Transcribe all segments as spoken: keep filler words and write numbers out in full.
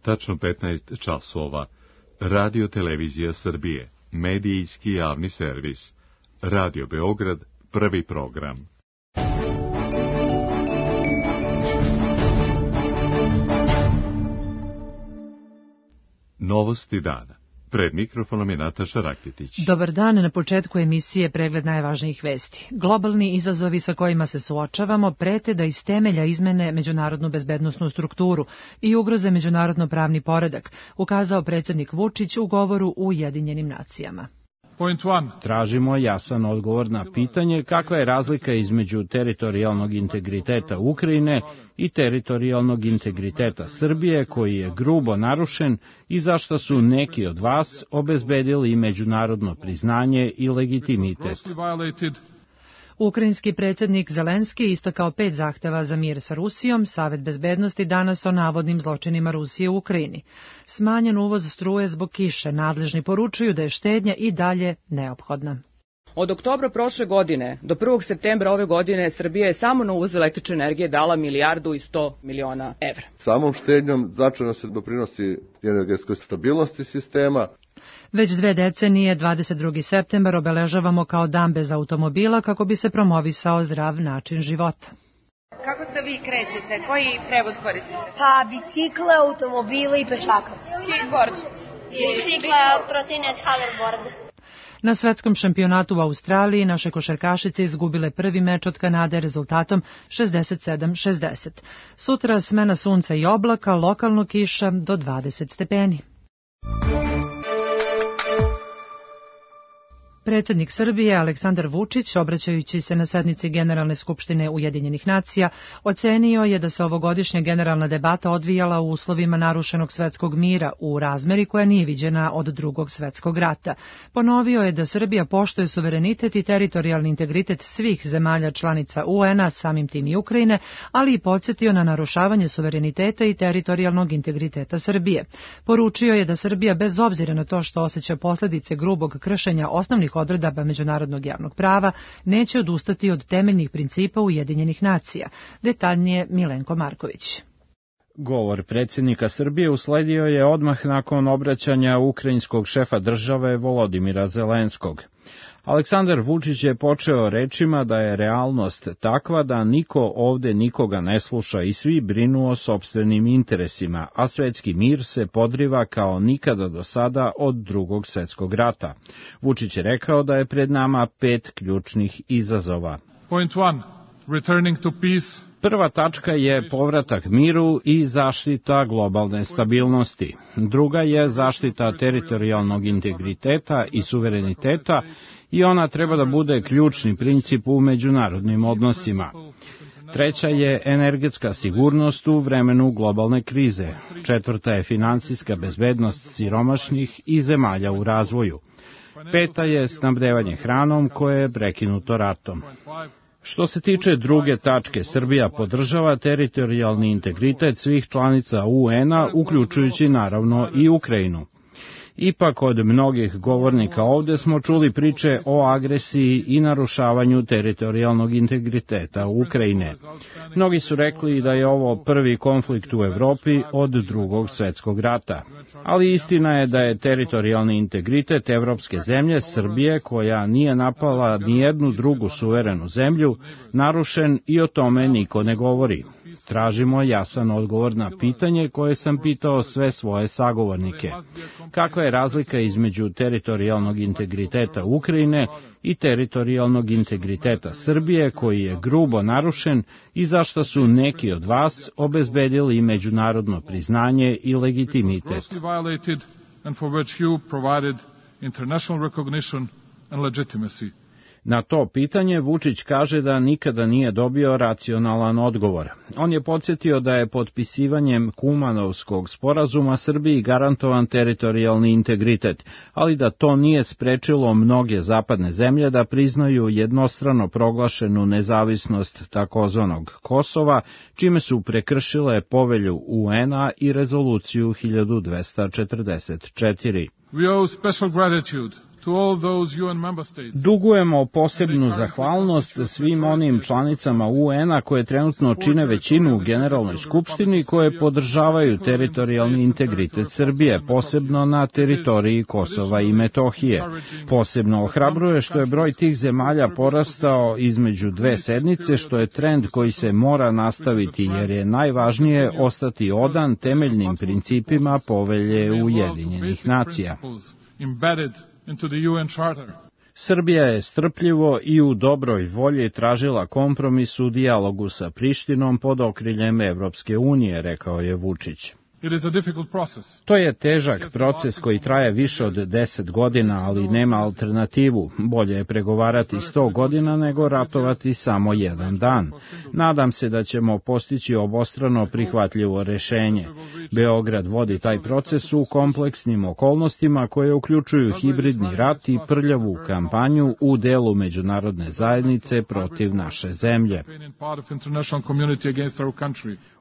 tačno petnaest časova. Radio Televizija Srbije, medijski javni servis. Radio Beograd, prvi program. Novosti dana. Pred mikrofonom je Nataša Rakitić. Dobar dan, na početku emisije pregled najvažnijih vesti. Globalni izazovi sa kojima se suočavamo prete da iz temelja izmene međunarodnu bezbednosnu strukturu i ugroze međunarodno pravni poredak, ukazao predsjednik Vučić u govoru u Ujedinjenim nacijama. Tražimo jasan odgovor na pitanje kakva je razlika između teritorijalnog integriteta Ukrajine i teritorijalnog integriteta Srbije, koji je grubo narušen i zašto su neki od vas obezbedili međunarodno priznanje i legitimitet. Ukrajinski predsjednik Zelenski istakao pet zahteva za mir sa Rusijom, Savet bezbednosti danas o navodnim zločinima Rusije u Ukrajini. Smanjen uvoz struje zbog kiše, nadležni poručuju da je štednja i dalje neophodna. Od oktobra prošle godine do prvog septembra ove godine Srbija je samo na uvoz električne energije dala milijardu i sto miliona evra. Samom štednjom značajno se doprinosi energetskoj stabilnosti sistema. Već dve decenije, dvadeset drugi septembar, obeležavamo kao dan bez automobila kako bi se promovisao zdrav način života. Kako se vi krećete? Koji prevoz koristite? Pa bicikle, automobile i pešaka. Skateboard. Bicikla, trotinet, hoverboard. Na svetskom šampionatu u Australiji naše košarkašice izgubile prvi meč od Kanade rezultatom šezdeset sedam šezdeset. Sutra smena sunca i oblaka, lokalno kiša do dvadeset stepeni. Predsjednik Srbije Aleksandar Vučić, obraćajući se na sednici Generalne skupštine Ujedinjenih nacija, ocenio je da se ovogodišnja generalna debata odvijala u uslovima narušenog svetskog mira u razmeri koja nije viđena od drugog svetskog rata. Ponovio je da Srbija poštuje suverenitet i teritorijalni integritet svih zemalja članica U N-a, samim tim i Ukrajine, ali i podsjetio na narušavanje suvereniteta i teritorijalnog integriteta Srbije. Poručio je da Srbija, bez obzira na to što osjeća posljedice grubog kršenja osnovnih odredaba međunarodnog javnog prava, neće odustati od temeljnih principa Ujedinjenih nacija. Detaljnije Milenko Marković. Govor predsjednika Srbije usledio je odmah nakon obraćanja ukrajinskog šefa države Volodimira Zelenskog. Aleksandar Vučić je počeo rečima da je realnost takva da niko ovde nikoga ne sluša i svi brinu o sopstvenim interesima, a svetski mir se podriva kao nikada do sada od drugog svetskog rata. Vučić je rekao da je pred nama pet ključnih izazova. Point one, returning to peace. Prva tačka je povratak miru i zaštita globalne stabilnosti. Druga je zaštita teritorijalnog integriteta i suvereniteta i ona treba da bude ključni princip u međunarodnim odnosima. Treća je energetska sigurnost u vremenu globalne krize. Četvrta je finansijska bezbednost siromašnih i zemalja u razvoju. Peta je snabdevanje hranom koje je prekinuto ratom. Što se tiče druge tačke, Srbija podržava teritorijalni integritet svih članica U N-a, uključujući naravno i Ukrajinu. Ipak od mnogih govornika ovde smo čuli priče o agresiji i narušavanju teritorijalnog integriteta Ukrajine. Mnogi su rekli da je ovo prvi konflikt u Evropi od drugog svetskog rata. Ali istina je da je teritorijalni integritet evropske zemlje, Srbije, koja nije napala nijednu drugu suverenu zemlju, narušen i o tome niko ne govori. Tražimo jasan odgovor na pitanje koje sam pitao sve svoje sagovornike. Kakva je razlika između teritorijalnog integriteta Ukrajine i teritorijalnog integriteta Srbije, koji je grubo narušen i zašto su neki od vas obezbedili međunarodno priznanje i legitimitet? Na to pitanje Vučić kaže da nikada nije dobio racionalan odgovor. On je podsjetio da je potpisivanjem Kumanovskog sporazuma Srbiji garantovan teritorijalni integritet, ali da to nije sprečilo mnoge zapadne zemlje da priznaju jednostrano proglašenu nezavisnost takozvanog Kosova, čime su prekršile povelju U N-a i rezoluciju hiljadu dvesta četrdeset četiri. We owe special gratitude Dugujemo posebnu zahvalnost svim onim članicama U N-a koje trenutno čine većinu u Generalnoj skupštini koje podržavaju teritorijalni integritet Srbije, posebno na teritoriji Kosova i Metohije. Posebno ohrabruje što je broj tih zemalja porastao između dve sednice, što je trend koji se mora nastaviti jer je najvažnije ostati odan temeljnim principima Povelje Ujedinjenih nacija. Srbija je strpljivo i u dobroj volji tražila kompromis u dijalogu sa Prištinom pod okriljem Evropske unije, rekao je Vučić. To je težak proces koji traje više od deset godina, ali nema alternativu. Bolje je pregovarati sto godina nego ratovati samo jedan dan. Nadam se da ćemo postići obostrano prihvatljivo rešenje. Beograd vodi taj proces u kompleksnim okolnostima koje uključuju hibridni rat i prljavu kampanju u delu međunarodne zajednice protiv naše zemlje.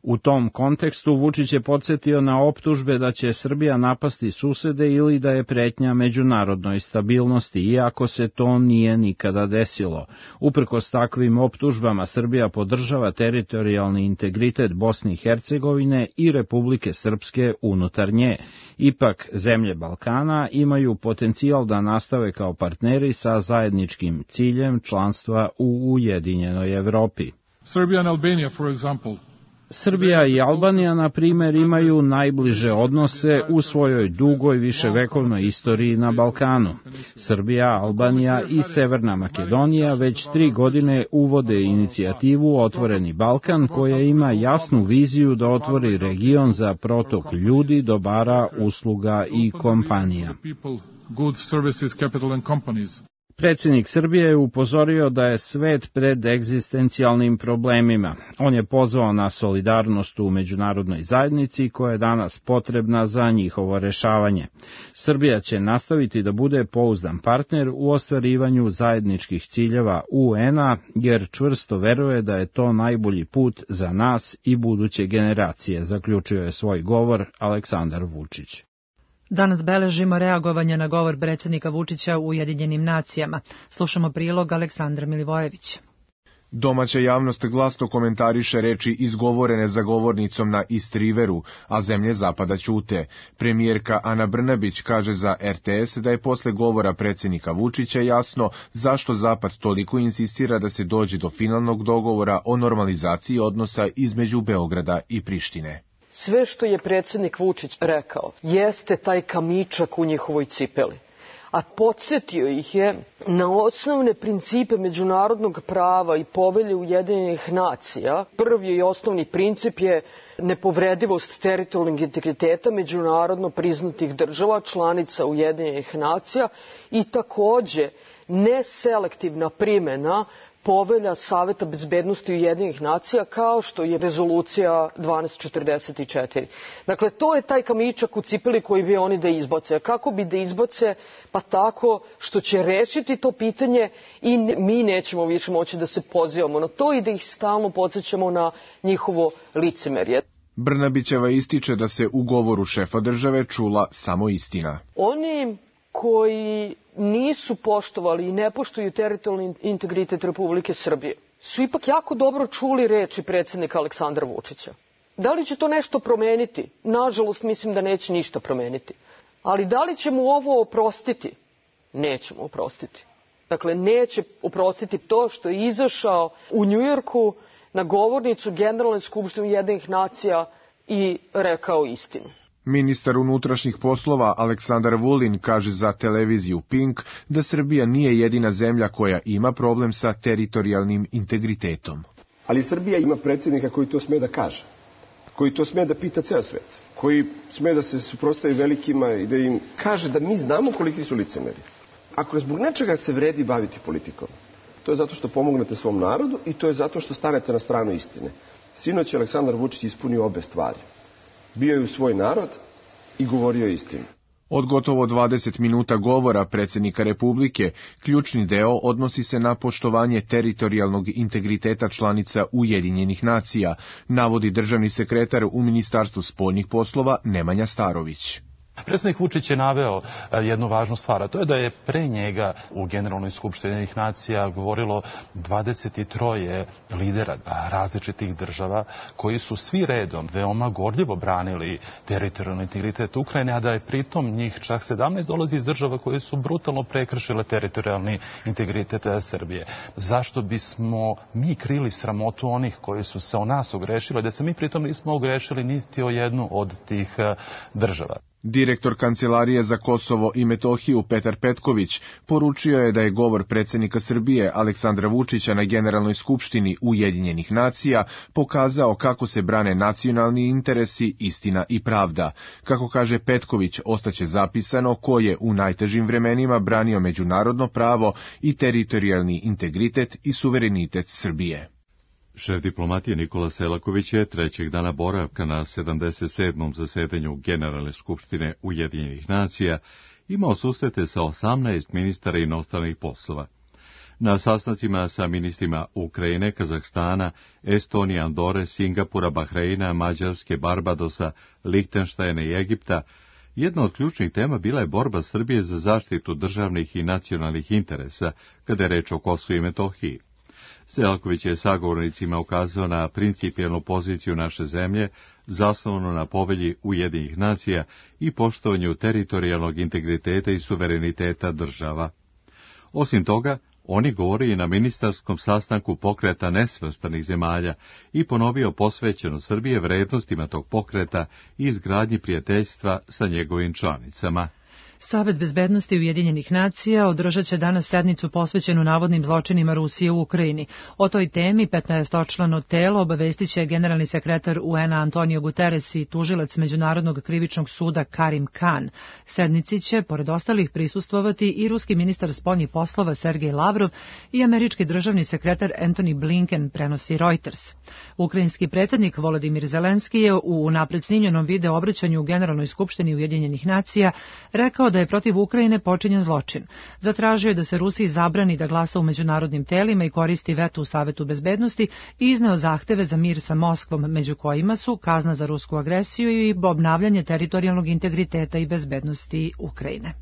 U tom kontekstu Vučić je podsjetio na optužbe da će Srbija napasti susede ili da je pretnja međunarodnoj stabilnosti, iako se to nije nikada desilo. Uprkos takvim optužbama Srbija podržava teritorijalni integritet Bosne i Hercegovine i Republike Srpske unutar nje. Ipak, zemlje Balkana imaju potencijal da nastave kao partneri sa zajedničkim ciljem članstva u Ujedinjenoj Evropi. Serbia and Albania, for example, Srbija i Albanija, na primjer, imaju najbliže odnose u svojoj dugoj viševekovnoj istoriji na Balkanu. Srbija, Albanija i Severna Makedonija već tri godine uvode inicijativu Otvoreni Balkan, koja ima jasnu viziju da otvori region za protok ljudi, dobara, usluga i kompanija. Predsjednik Srbije je upozorio da je svet pred egzistencijalnim problemima. On je pozvao na solidarnost u međunarodnoj zajednici koja je danas potrebna za njihovo rešavanje. Srbija će nastaviti da bude pouzdan partner u ostvarivanju zajedničkih ciljeva U N-a, jer čvrsto veruje da je to najbolji put za nas i buduće generacije, zaključio je svoj govor Aleksandar Vučić. Danas beležimo reagovanje na govor predsjednika Vučića u Ujedinjenim nacijama. Slušamo prilog Aleksandra Milivojevića. Domaća javnost glasno komentariše reči izgovorene za govornicom na East Riveru, a zemlje zapada ćute. Premijerka Ana Brnabić kaže za R T S da je posle govora predsjednika Vučića jasno zašto Zapad toliko insistira da se dođe do finalnog dogovora o normalizaciji odnosa između Beograda i Prištine. Sve što je predsjednik Vučić rekao jeste taj kamičak u njihovoj cipeli, a podsjetio ih je na osnovne principe međunarodnog prava i Povelje Ujedinjenih nacija. Prvi i osnovni princip je nepovredivost teritorijalnog integriteta međunarodno priznatih država, članica Ujedinjenih nacija i takođe neselektivna primjena Povelja Saveta bezbednosti Ujedinjenih nacija kao što je rezolucija dvanaest četrdeset četiri. Dakle, to je taj kamičak u cipeli koji bi oni da izbace. Kako bi da izbace? Pa tako što će rešiti to pitanje i mi nećemo više moći da se pozivamo na to i da ih stalno podsjećamo na njihovo licemerje. Brnabićeva ističe da se u govoru šefa države čula samo istina. Oni koji nisu poštovali i ne poštuju teritorijalni integritet Republike Srbije su ipak jako dobro čuli reči predsjednika Aleksandra Vučića. Da li će to nešto promeniti? Nažalost, mislim da neće ništa promeniti. Ali da li ćemo ovo oprostiti? Nećemo oprostiti. Dakle, neće oprostiti to što je izašao u Njujorku na govornicu Generalne skupštine Ujedinjenih nacija i rekao istinu. Ministar unutrašnjih poslova Aleksandar Vulin kaže za televiziju Pink da Srbija nije jedina zemlja koja ima problem sa teritorijalnim integritetom. Ali Srbija ima predsjednika koji to sme da kaže, koji to sme da pita ceo svet, koji sme da se suprotstavi velikima i da im kaže da mi znamo koliki su licemeri. Ako zbog nečega se vredi baviti politikom, to je zato što pomognete svom narodu i to je zato što stanete na stranu istine. Sinoć je Aleksandar Vučić ispunio obe stvari. Bio je u svoj narod i govorio istinu. Od gotovo dvadeset minuta govora predsjednika Republike, ključni deo odnosi se na poštovanje teritorijalnog integriteta članica Ujedinjenih nacija, navodi državni sekretar u Ministarstvu spoljnih poslova Nemanja Starović. Predsjednik Vučić je naveo jednu važnu stvar, a to je da je pre njega u Generalnoj skupštini Ujedinjenih nacija govorilo dvadeset tri lidera različitih država koji su svi redom veoma gorljivo branili teritorijalni integritet Ukrajine, a da je pritom njih čak sedamnaest dolazi iz država koje su brutalno prekršile teritorijalni integritet Srbije. Zašto bismo mi krili sramotu onih koji su se o nas ogrešili, da se mi pritom nismo ogrešili niti o jednu od tih država? Direktor Kancelarije za Kosovo i Metohiju Petar Petković poručio je da je govor predsjednika Srbije Aleksandra Vučića na Generalnoj skupštini Ujedinjenih nacija pokazao kako se brane nacionalni interesi, istina i pravda. Kako kaže Petković, ostaće zapisano ko je u najtežim vremenima branio međunarodno pravo i teritorijalni integritet i suverenitet Srbije. Šef diplomatije Nikola Selaković je trećeg dana boravka na sedamdeset sedmom zasedanju Generalne skupštine Ujedinjenih nacija imao susrete sa osamnaest ministara inostranih poslova. Na sastancima sa ministrima Ukrajine, Kazahstana, Estonije, Andore, Singapura, Bahreina, Mađarske, Barbadosa, Lihtenštajna i Egipta, jedna od ključnih tema bila je borba Srbije za zaštitu državnih i nacionalnih interesa kada je reč o Kosovu i Metohiji. Selaković je sagovornicima ukazao na principijelnu poziciju naše zemlje, zasnovanu na povelji Ujedinjenih nacija i poštovanju teritorijalnog integriteta i suvereniteta država. Osim toga, on je govorio i na ministarskom sastanku pokreta nesvrstanih zemalja i ponovio posvećenost Srbije vrednostima tog pokreta i izgradnji prijateljstva sa njegovim članicama. Savet bezbednosti Ujedinjenih nacija održat će danas sednicu posvećenu navodnim zločinima Rusije u Ukrajini. O toj temi petnaestočlano telo obavestit će generalni sekretar U N-a Antonio Guterres i tužilac Međunarodnog krivičnog suda Karim Khan. Sednici će, pored ostalih, prisustvovati i ruski ministar spoljnih poslova Sergej Lavrov i američki državni sekretar Antony Blinken, prenosi Reuters. Ukrajinski predsjednik Volodimir Zelenski je u unapred snimljenom video obraćanju u Generalnoj skupštini Ujedinjenih nacija rekao da je protiv Ukrajine počinjen zločin. Zatražio je da se Rusiji zabrani da glasa u međunarodnim telima i koristi veto u Savetu bezbednosti i izneo zahteve za mir sa Moskvom, među kojima su kazna za rusku agresiju i obnavljanje teritorijalnog integriteta i bezbednosti Ukrajine.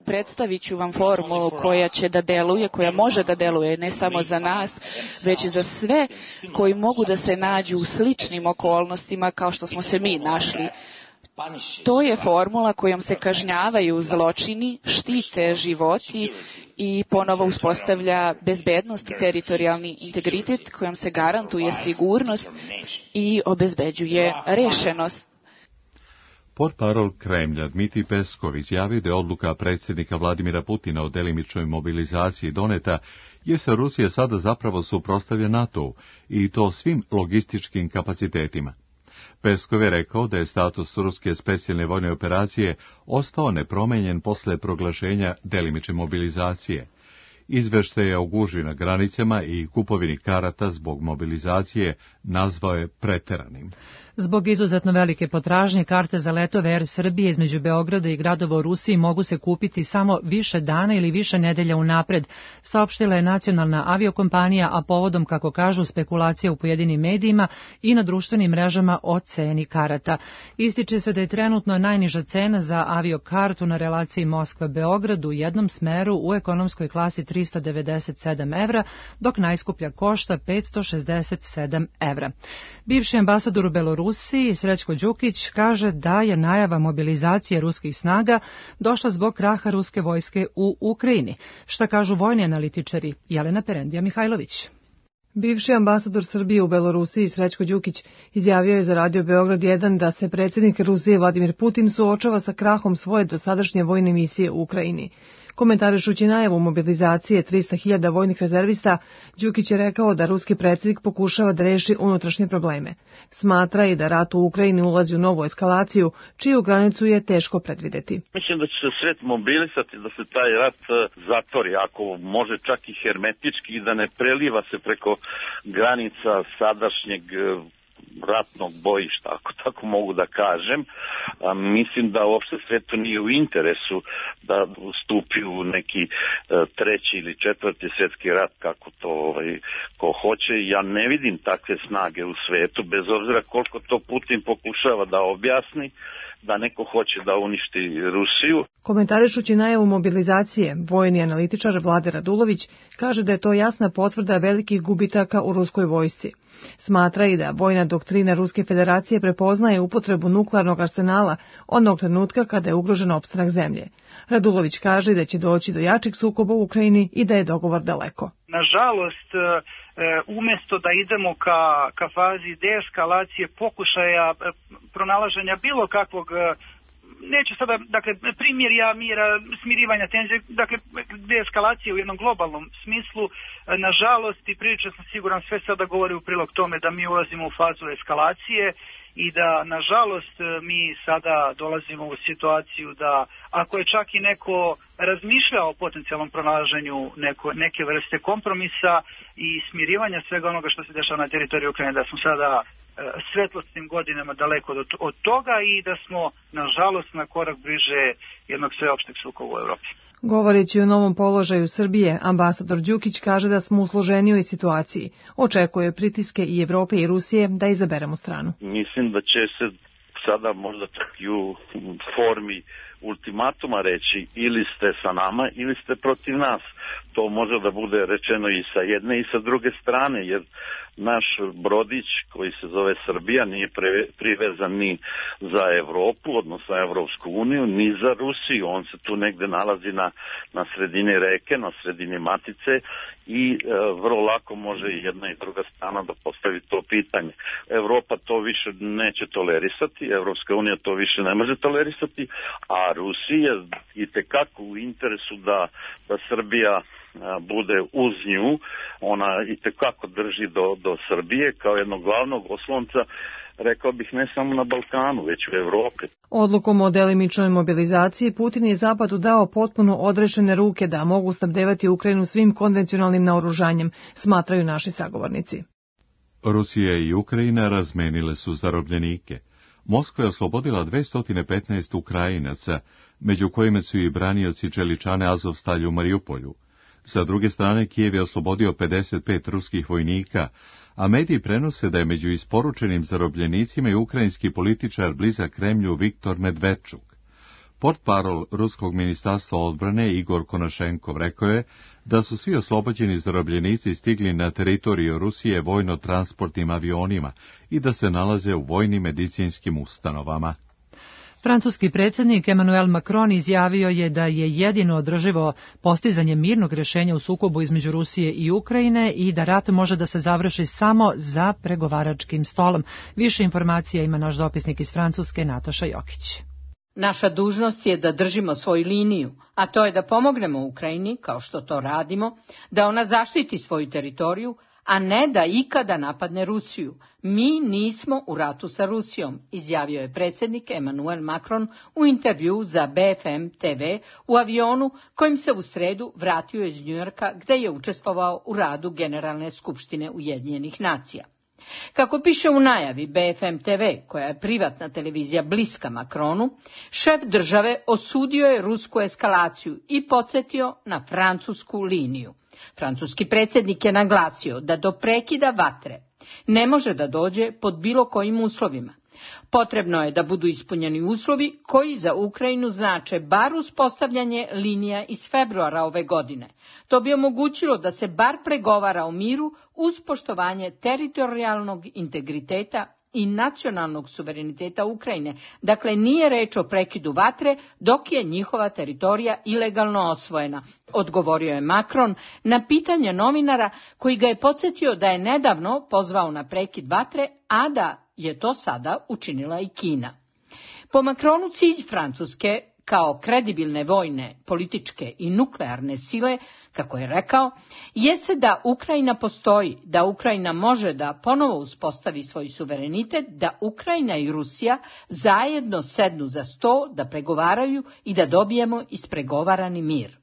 Predstavit ću vam formulu koja će da deluje, koja može da deluje ne samo za nas, već i za sve koji mogu da se nađu u sličnim okolnostima kao što smo se mi našli. To je formula kojom se kažnjavaju zločini, štite životi i ponovo uspostavlja bezbednost i teritorijalni integritet, kojom se garantuje sigurnost i obezbeđuje rešenost. Portparol Kremlja Dmitrij Peskov izjavio da je odluka predsjednika Vladimira Putina o delimičnoj mobilizaciji doneta, jer se Rusija sada zapravo suprotstavlja NATO-u i to svim logističkim kapacitetima. Peskov je rekao da je status ruske specijalne vojne operacije ostao nepromenjen posle proglašenja delimične mobilizacije. Izveštaje o gužvi na granicama i kupovini karata zbog mobilizacije nazvao je preteranim. Zbog izuzetno velike potražnje, karte za letove Er Srbije između Beograda i gradova u Rusiji mogu se kupiti samo više dana ili više nedelja unapred, saopštila je nacionalna aviokompanija, a povodom, kako kažu, spekulacija u pojedinim medijima i na društvenim mrežama o ceni karata. Ističe se da je trenutno najniža cena za aviokartu na relaciji Moskva-Beograd u jednom smeru u ekonomskoj klasi trista devedeset sedam evra, dok najskuplja košta petsto šezdeset sedam evra. Bivši ambasador u Belorusiji Rusiji, Srećko Đukić, kaže da je najava mobilizacije ruskih snaga došla zbog kraha ruske vojske u Ukrajini. Šta kažu vojni analitičari? Jelena Perendija Mihajlović. Bivši ambasador Srbije u Belorusiji Srećko Đukić izjavio je za Radio Beograd jedan da se predsjednik Rusije Vladimir Putin suočava sa krahom svoje dosadašnje vojne misije u Ukrajini. Komentarišući najavu mobilizacije trista hiljada vojnih rezervista, Đukić je rekao da ruski predsjednik pokušava da reši unutrašnje probleme. Smatra i da rat u Ukrajini ulazi u novu eskalaciju, čiju granicu je teško predvideti. Mislim da će se svet mobilisati da se taj rat zatvori, ako može čak i hermetički, i da ne preliva se preko granica sadašnjeg ratnog bojišta, ako tako mogu da kažem. A, mislim da uopšte svetu nije u interesu da stupi u neki a, treći ili četvrti svjetski rat, kako to ovaj, ko hoće. Ja ne vidim takve snage u svetu, bez obzira koliko to Putin pokušava da objasni, da neko hoće da uništi Rusiju. Komentarišući najavu mobilizacije, vojni analitičar Vlade Radulović kaže da je to jasna potvrda velikih gubitaka u ruskoj vojsci. Smatra i da vojna doktrina Ruske federacije prepoznaje upotrebu nuklearnog arsenala onog trenutka kada je ugrožen opstanak zemlje. Radulović kaže da će doći do jačih sukoba u Ukrajini i da je dogovor daleko. Nažalost, umjesto da idemo ka, ka fazi deeskalacije, pokušaja pronalaženja bilo kakvog, neću sada, dakle, primirja, mira, smirivanja tenzije, dakle, deeskalacije u jednom globalnom smislu, nažalost, i prilično sam siguran, sve sada govori u prilog tome da mi ulazimo u fazu eskalacije i da, nažalost, mi sada dolazimo u situaciju da, ako je čak i neko razmišljao o potencijalnom pronalaženju neko, neke vrste kompromisa i smirivanja svega onoga što se dešava na teritoriju Ukrajine, da smo sada svetlosnim godinama daleko od toga i da smo, nažalost, na korak bliže jednog sveopšteg sukoba u Evropi. Govoreći o novom položaju Srbije, ambasador Đukić kaže da smo u složenijoj situaciji. Očekuje pritiske i Evrope i Rusije da izaberemo stranu. Mislim da će se sada možda čak i u formi ultimatuma reći ili ste sa nama ili ste protiv nas. To može da bude rečeno i sa jedne i sa druge strane, jer naš brodić koji se zove Srbija nije privezan ni za Evropu, odnosno Evropsku uniju, ni za Rusiju. On se tu negde nalazi na, na sredini reke, na sredini Matice i e, vrlo lako može i jedna i druga strana da postavi to pitanje. Evropa to više neće tolerisati, Evropska unija to više ne može tolerisati, a Rusija i tekako u interesu da, da Srbija bude uz nju, ona i tekako drži do, do Srbije kao jednog glavnog oslonca, rekao bih ne samo na Balkanu, već u Evropi. Odlukom o delimičnoj mobilizaciji Putin je Zapadu dao potpuno odrešene ruke da mogu snabdevati Ukrajinu svim konvencionalnim naoružanjem, smatraju naši sagovornici. Rusija i Ukrajina razmenile su zarobljenike. Moskva je oslobodila dvesta petnaest Ukrajinaca, među kojima su i branioci čeličane Azovstalja u Mariupolju. Sa druge strane, Kijev je oslobodio pedeset pet ruskih vojnika, a mediji prenose da je među isporučenim zarobljenicima i ukrajinski političar blizak Kremlju Viktor Medvedčuk. Portparol Ruskog ministarstva odbrane Igor Konašenkov rekao je da su svi oslobođeni zarobljenici stigli na teritoriju Rusije vojno-transportnim avionima i da se nalaze u vojnim medicinskim ustanovama. Francuski predsjednik Emmanuel Macron izjavio je da je jedino održivo postizanje mirnog rješenja u sukobu između Rusije i Ukrajine i da rat može da se završi samo za pregovaračkim stolom. Više informacija ima naš dopisnik iz Francuske, Nataša Jokić. Naša dužnost je da držimo svoju liniju, a to je da pomognemo Ukrajini, kao što to radimo, da ona zaštiti svoju teritoriju, a ne da ikada napadne Rusiju. Mi nismo u ratu sa Rusijom, izjavio je predsjednik Emmanuel Macron u intervju za B F M T V u avionu kojim se u sredu vratio iz Njujorka gdje je učestvovao u radu Generalne skupštine Ujedinjenih nacija. Kako piše u najavi B F M T V, koja je privatna televizija bliska Macronu, šef države osudio je rusku eskalaciju i podsjetio na francusku liniju. Francuski predsjednik je naglasio da do prekida vatre ne može da dođe pod bilo kojim uslovima. Potrebno je da budu ispunjeni uslovi koji za Ukrajinu znače bar uspostavljanje linija iz februara ove godine. To bi omogućilo da se bar pregovara o miru uz poštovanje teritorijalnog integriteta i nacionalnog suvereniteta Ukrajine. Dakle, nije reč o prekidu vatre dok je njihova teritorija ilegalno osvojena, odgovorio je Macron na pitanje novinara koji ga je podsjetio da je nedavno pozvao na prekid vatre, a da je to sada učinila i Kina. Po Macronu cilj Francuske kao kredibilne vojne, političke i nuklearne sile, kako je rekao, jeste da Ukrajina postoji, da Ukrajina može da ponovo uspostavi svoj suverenitet, da Ukrajina i Rusija zajedno sednu za sto, da pregovaraju i da dobijemo ispregovarani mir.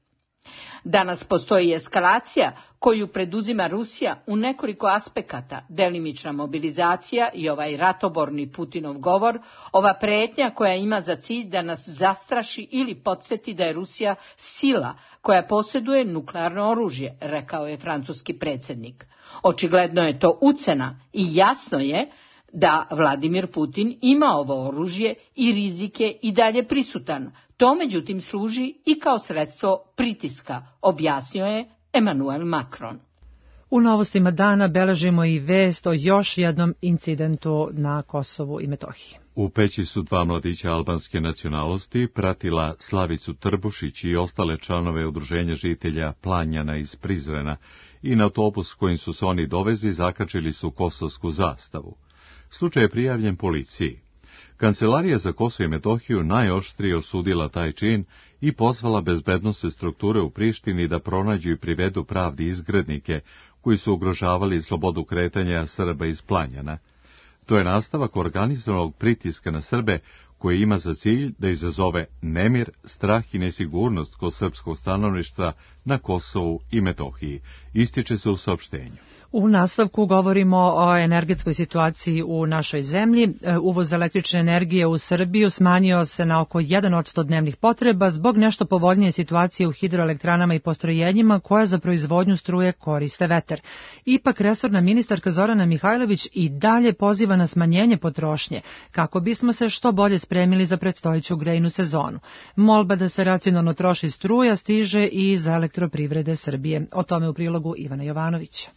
Danas postoji eskalacija koju preduzima Rusija u nekoliko aspekata, delimična mobilizacija i ovaj ratoborni Putinov govor, ova pretnja koja ima za cilj da nas zastraši ili podsjeti da je Rusija sila koja posjeduje nuklearno oružje, rekao je francuski predsjednik. Očigledno je to ucena i jasno je da Vladimir Putin ima ovo oružje i rizik je i dalje prisutan. To međutim služi i kao sredstvo pritiska, objasnio je Emmanuel Macron. U novostima dana beležimo i vest o još jednom incidentu na Kosovu i Metohiji. U Peći su dva mladića albanske nacionalnosti pratila Slavicu Trbušić i ostale članove udruženja žitelja Planjana iz Prizrena i na autobus kojim su se oni dovezi zakačili su kosovsku zastavu. Slučaj je prijavljen policiji. Kancelarija za Kosovo i Metohiju najoštrije osudila taj čin i pozvala bezbednosne strukture u Prištini da pronađu i privedu pravdi izgrednike koji su ugrožavali slobodu kretanja Srba iz Planjana. To je nastavak organizovanog pritiska na Srbe koji ima za cilj da izazove nemir, strah i nesigurnost kod srpskog stanovništva na Kosovu i Metohiji, ističe se u saopštenju. U nastavku govorimo o energetskoj situaciji u našoj zemlji. Uvoz električne energije u Srbiju smanjio se na oko jedan posto dnevnih potreba zbog nešto povoljnije situacije u hidroelektranama i postrojenjima koja za proizvodnju struje koriste vetar. Ipak resorna ministarka Zorana Mihajlović i dalje poziva na smanjenje potrošnje kako bismo se što bolje spremili za predstojeću grejnu sezonu. Molba da se racionalno troši struja stiže i iz Elektroprivrede Srbije. O tome u prilogu Ivana Jovanovića.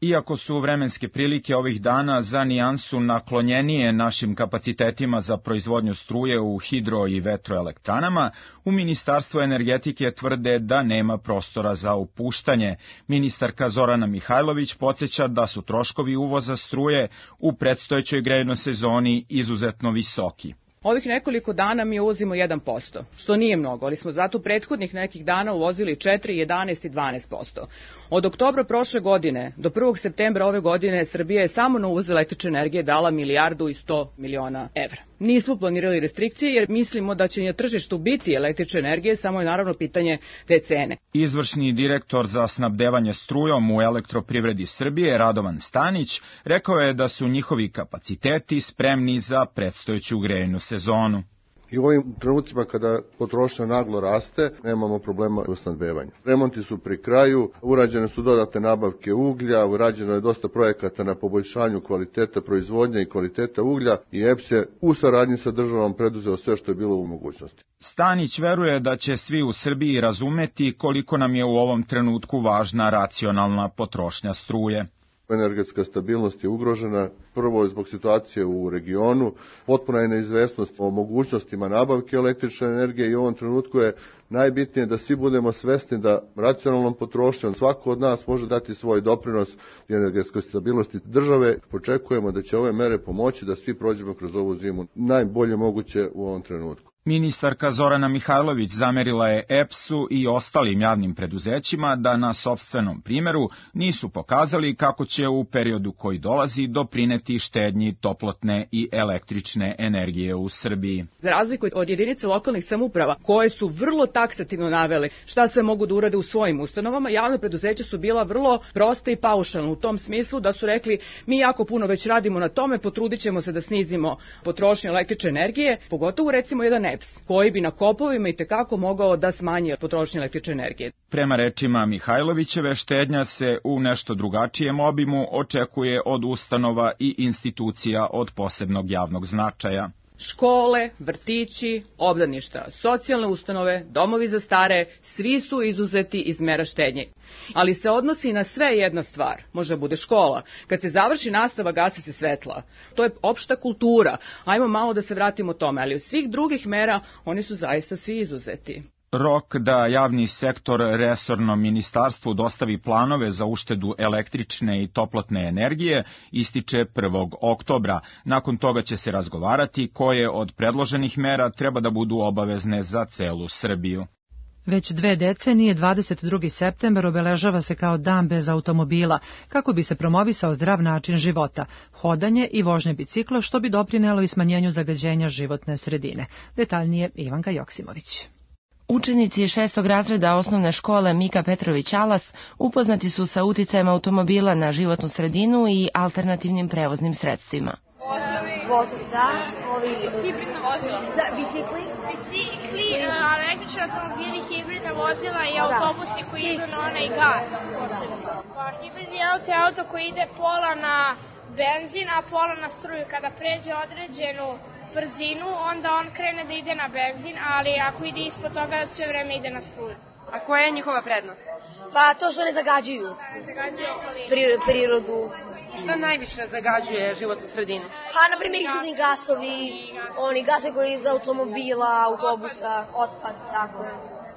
Iako su vremenske prilike ovih dana za nijansu naklonjenije našim kapacitetima za proizvodnju struje u hidro- i vetroelektranama, u Ministarstvu energetike tvrde da nema prostora za upuštanje. Ministarka Zorana Mihajlović podsjeća da su troškovi uvoza struje u predstojećoj grejnoj sezoni izuzetno visoki. Ovih nekoliko dana mi uvozimo jedan posto, što nije mnogo, ali smo zato prethodnih nekih dana uvozili četiri, jedanaest i dvanaest posto. Od oktobra prošle godine do prvog septembra ove godine Srbija je samo na uvoz električne energije dala milijardu i sto miliona evra. Nismo planirali restrikcije jer mislimo da će na tržištu biti električne energije, samo je naravno pitanje te cene. Izvršni direktor za snabdevanje strujom u Elektroprivredi Srbije, Radovan Stanić, rekao je da su njihovi kapaciteti spremni za predstojeću grejnu sezonu. I u ovim trenucima kada potrošnja naglo raste, nemamo problema u snabdevanju. Remonti su pri kraju, urađene su dodatne nabavke uglja, urađeno je dosta projekata na poboljšanju kvaliteta proizvodnje i kvaliteta uglja i E P S je u saradnji sa državom preduzeo sve što je bilo u mogućnosti. Stanić veruje da će svi u Srbiji razumeti koliko nam je u ovom trenutku važna racionalna potrošnja struje. Energetska stabilnost je ugrožena, prvo zbog situacije u regionu, potpuna je neizvesnost o mogućnostima nabavke električne energije i u ovom trenutku je najbitnije da svi budemo svesni da racionalnom potrošnjom svako od nas može dati svoj doprinos energetskoj stabilnosti države. Očekujemo da će ove mere pomoći da svi prođemo kroz ovu zimu najbolje moguće u ovom trenutku. Ministarka Zorana Mihajlović zamerila je E P S-u i ostalim javnim preduzećima da na sopstvenom primjeru nisu pokazali kako će u periodu koji dolazi doprineti štednji toplotne i električne energije u Srbiji. Za razliku od jedinice lokalnih samouprava koje su vrlo taksativno navele šta sve mogu da urade u svojim ustanovama, javne preduzeća su bila vrlo proste i paušalne u tom smislu da su rekli mi jako puno već radimo na tome, potrudit ćemo se da snizimo potrošnju električne energije, pogotovo recimo jedan E P S koji bi na kopovima i tekako mogao da smanji potrošnju električne energije. Prema rečima Mihajlovićeve, štednja se u nešto drugačijem obimu očekuje od ustanova i institucija od posebnog javnog značaja. Škole, vrtići, obdaništa, socijalne ustanove, domovi za stare, svi su izuzeti iz mera štednje. Ali se odnosi na sve jedna stvar, može bude škola. Kad se završi nastava, gase se svetla. To je opšta kultura. Ajmo malo da se vratimo tome, ali od svih drugih mera oni su zaista svi izuzeti. Rok da javni sektor resornom ministarstvu dostavi planove za uštedu električne i toplotne energije ističe prvog oktobra. Nakon toga će se razgovarati koje od predloženih mera treba da budu obavezne za celu Srbiju. Već dve decenije, dvadeset drugi septembar obeležava se kao dan bez automobila, kako bi se promovisao zdrav način života, hodanje i vožnje bicikla, što bi doprinelo i smanjenju zagađenja životne sredine. Detaljnije Ivanka Joksimović. Učenici šestog razreda osnovne škole Mika Petrović Alas upoznati su sa uticajem automobila na životnu sredinu i alternativnim prevoznim sredstvima. Vozovi, da, ovi hibridna vozila. Da, bicikli. Bicikli, električni automobili, hibridna vozila i autobusi koji idu na onaj gas. Pa hibridni auto je auto koji ide pola na benzin, a pola na struju. Kada pređe određenu brzinu, onda on krene da ide na benzin, ali ako ide ispod toga, sve vreme ide na struju. A koja je njihova prednost? Pa to što ne zagađuju. Da, ne zagađuju okolinu. Pri- prirodu. Šta najviše zagađuje životnu sredinu? Pa, na primjer, isudni gasovi, oni gasovi koji iz automobila, autobusa, otpad, tako.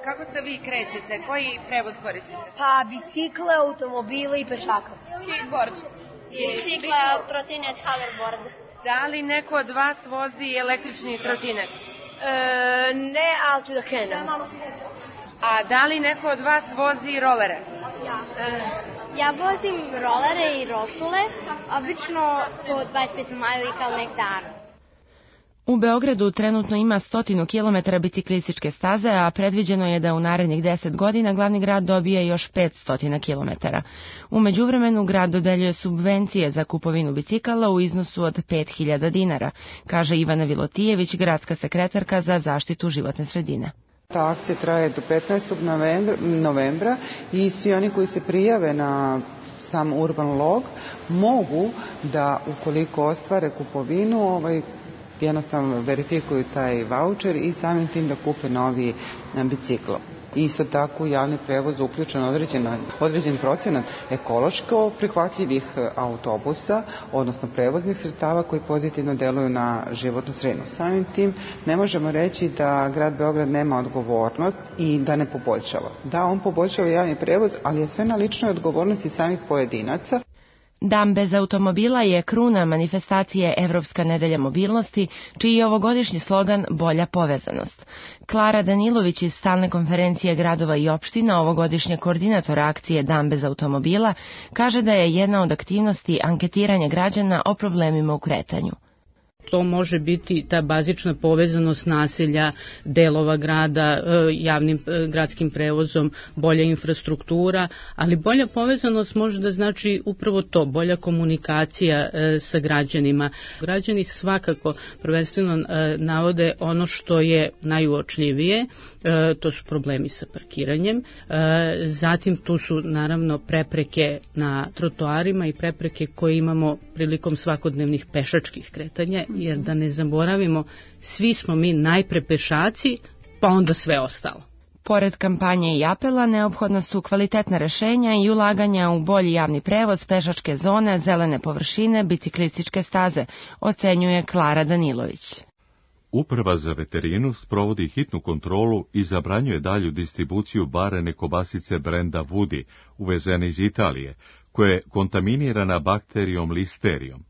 Kako se vi krećete? Koji prevoz koristite? Pa, bicikle, automobile i pešaka. Skateboard. Bicikle, trotinet, hoverboard. Da li neko od vas vozi električni trotinet? E, ne, ali ću da krenem. A da li neko od vas vozi rolere? Ja. E, ja vozim rolere i rosule, obično po dvadeset pet maja i kao nek dan. U Beogradu trenutno ima stotinu kilometara biciklističke staze, a predviđeno je da u narednih deset godina glavni grad dobije još petsto kilometara. U međuvremenu grad dodeljuje subvencije za kupovinu bicikala u iznosu od pet hiljada dinara, kaže Ivana Vilotijević, gradska sekretarka za zaštitu životne sredine. Ta akcija traje do petnaestog novembra i svi oni koji se prijave na sam Urban Log mogu da, ukoliko ostvare kupovinu, ovaj, jednostavno verifikuju taj vaučer i samim tim da kupe novi bicikl. Isto tako u javni prevoz uključen određen, određen procenat ekološko prihvatljivih autobusa, odnosno prevoznih sredstava koji pozitivno deluju na životnu sredinu. Samim tim ne možemo reći da grad Beograd nema odgovornost i da ne poboljšava. Da, on poboljšava javni prevoz, ali je sve na ličnoj odgovornosti samih pojedinaca. Dan bez automobila je kruna manifestacije Evropska nedelja mobilnosti, čiji je ovogodišnji slogan Bolja povezanost. Klara Danilović iz Stalne konferencije gradova i opština, ovogodišnje koordinatora akcije Dan bez automobila, kaže da je jedna od aktivnosti anketiranje građana o problemima u kretanju. To može biti ta bazična povezanost naselja, delova grada, javnim gradskim prevozom, bolja infrastruktura, ali bolja povezanost može da znači upravo to, bolja komunikacija sa građanima. Građani svakako prvenstveno navode ono što je najuočljivije, to su problemi sa parkiranjem, zatim tu su naravno prepreke na trotoarima i prepreke koje imamo prilikom svakodnevnih pešačkih kretanja, jer da ne zaboravimo, svi smo mi najpre pešaci, pa onda sve ostalo. Pored kampanje i apela, neophodna su kvalitetna rešenja i ulaganja u bolji javni prevoz, pešačke zone, zelene površine, biciklističke staze, ocenjuje Klara Danilović. Uprava za veterinu sprovodi hitnu kontrolu i zabranjuje dalju distribuciju barene kobasice brenda Woody, uvezene iz Italije, koja je kontaminirana bakterijom listerijom.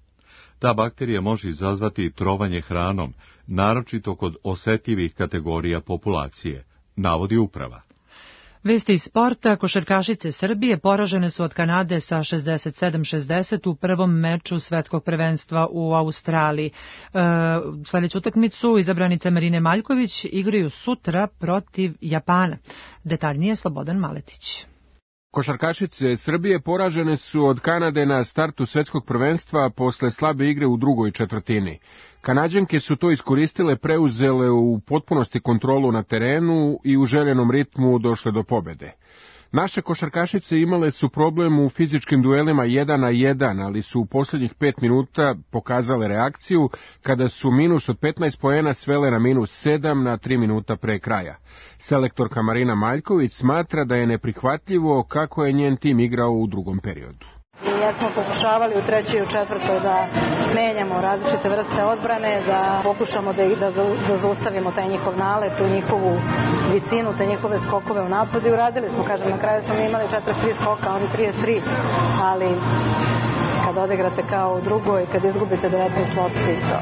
Ta bakterija može izazvati trovanje hranom, naročito kod osetljivih kategorija populacije, navodi uprava. Vesti iz sporta, košarkašice Srbije poražene su od Kanade sa šezdeset sedam šezdeset u prvom meču svetskog prvenstva u Australiji. E, sljedeću utakmicu izabranice Marine Maljković igraju sutra protiv Japana. Detaljnije Slobodan Maletić. Košarkašice Srbije poražene su od Kanade na startu svetskog prvenstva posle slabe igre u drugoj četvrtini. Kanađanke su to iskoristile, preuzele u potpunosti kontrolu na terenu i u željenom ritmu došle do pobede. Naše košarkašice imale su problem u fizičkim duelima jedan na jedan, ali su u posljednjih pet minuta pokazale reakciju kada su minus od petnaest poena svele na minus sedam na tri minuta pre kraja. Selektorka Marina Maljković smatra da je neprihvatljivo kako je njen tim igrao u drugom periodu. Jer smo pokušavali u trećoj i u četvrtoj da menjamo različite vrste odbrane, da pokušamo da, da, da zaustavimo taj njihov nalet, tu njihovu visinu, te njihove skokove u napadu i uradili smo, kažem, na kraju smo imali četrdeset tri skoka, oni trideset tri, ali kad odigrate kao u drugoj, kad izgubite devetnaest lopti, to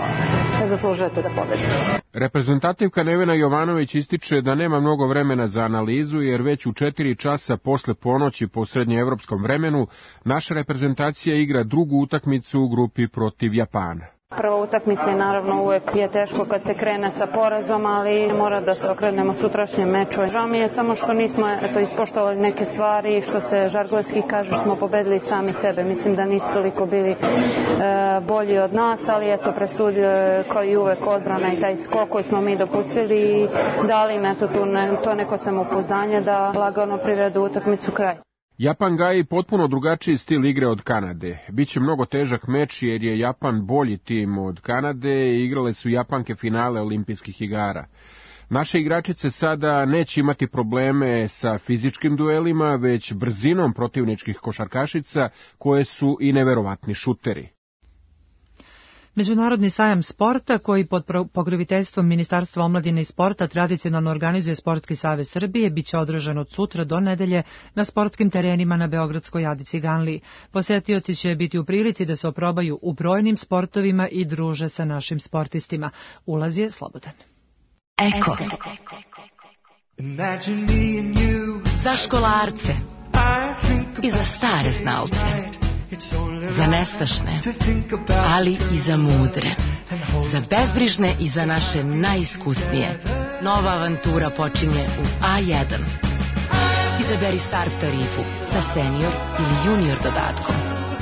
ne zaslužujete da pobedite. Reprezentativka Nevena Jovanović ističe da nema mnogo vremena za analizu, jer već u četiri časa posle ponoći po srednjeevropskom vremenu naša reprezentacija igra drugu utakmicu u grupi protiv Japana. Prva utakmica je naravno uvek je teško kad se krene sa porazom, ali mora da se okrenemo sutrašnjem meču. Žao mi je samo što nismo eto, ispoštovali neke stvari, što se žargonski kaže, smo pobedili sami sebe. Mislim da nisu toliko bili e, bolji od nas, ali eto presudio kao i uvek odbrana i taj skok koji smo mi dopustili i dali im eto tu ne, to neko samopouzdanje da lagano privedu utakmicu kraj. Japan gaji potpuno drugačiji stil igre od Kanade. Biće mnogo težak meč jer je Japan bolji tim od Kanade i igrale su Japanke finale olimpijskih igara. Naše igračice sada neće imati probleme sa fizičkim duelima, već brzinom protivničkih košarkašica koje su i neverovatni šuteri. Međunarodni sajam sporta, koji pod pokroviteljstvom Ministarstva omladine i sporta tradicionalno organizuje Sportski savez Srbije, biće održan od sutra do nedelje na sportskim terenima na Beogradskoj Adi Ciganliji. Posetioci će biti u prilici da se oprobaju u brojnim sportovima i druže sa našim sportistima. Ulaz je slobodan. Eko. Za školarce i za stare znalce. Za nestašne, ali i za mudre. Za bezbrižne i za naše najiskusnije. Nova avantura počinje u A jedan. Izaberi start tarifu sa senior ili junior dodatkom.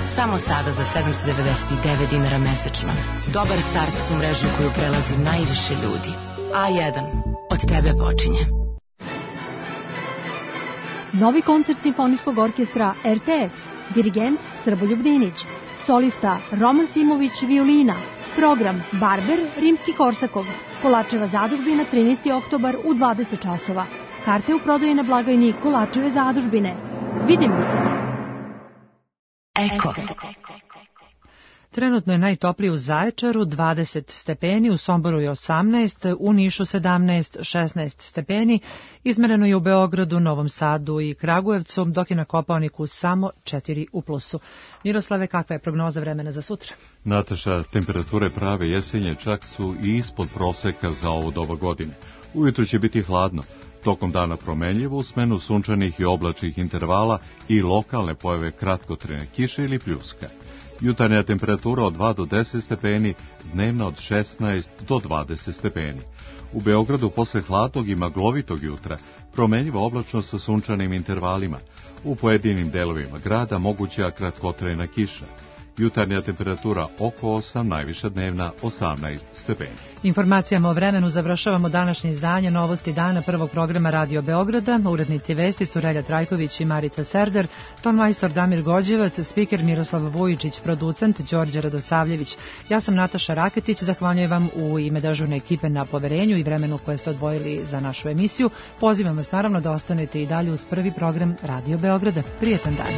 Samo sada za sedamsto devedeset devet dinara mesečno. Dobar start u mrežu koju prelazi najviše ljudi. A jedan. Od tebe počinje. Novi koncert Simfonijskog orkestra R T S. Dirigent Srboljub Dinić, solista Roman Simović violina, program Barber Rimski-Korsakov, Kolačeva zadužbina trinaesti oktobar u dvadeset časova. Karte u prodaji na blagajni Kolačeve zadužbine. Vidimo se! Eko. Trenutno je najtoplije u Zaječaru dvadeset stepeni, u Somboru je osamnaest, u Nišu sedamnaest, šesnaest stepeni, izmereno je u Beogradu, Novom Sadu i Kragujevcu, dok je na Kopaoniku samo četiri u plusu. Miroslave, kakva je prognoza vremena za sutra? Nataša, temperature prave jesenje čak su i ispod proseka za ovu doba godine. Ujutro će biti hladno, tokom dana promenljivo u smenu sunčanih i oblačnih intervala i lokalne pojave kratkotrajne kiše ili pljuska. Jutarnja temperatura od dva do deset stepeni, dnevna od šesnaest do dvadeset stepeni. U Beogradu posle hladnog i maglovitog jutra promenljiva oblačnost sa sunčanim intervalima. U pojedinim delovima grada moguća kratkotrajna kiša. Jutarnja temperatura oko osam, najviša dnevna osamnaest stepeni. Informacijama o vremenu završavamo današnje izdanje Novosti dana prvog programa Radio Beograda. Urednici vesti su Relja Trajković i Marica Serder, tonmajstor Damir Gođevac, spiker Miroslav Vujičić, producent Đorđe Radosavljević. Ja sam Nataša Raketić, zahvaljujem vam u ime dežurne ekipe na poverenju i vremenu koje ste odvojili za našu emisiju. Pozivam vas naravno da ostanete i dalje uz prvi program Radio Beograda. Prijetan dan.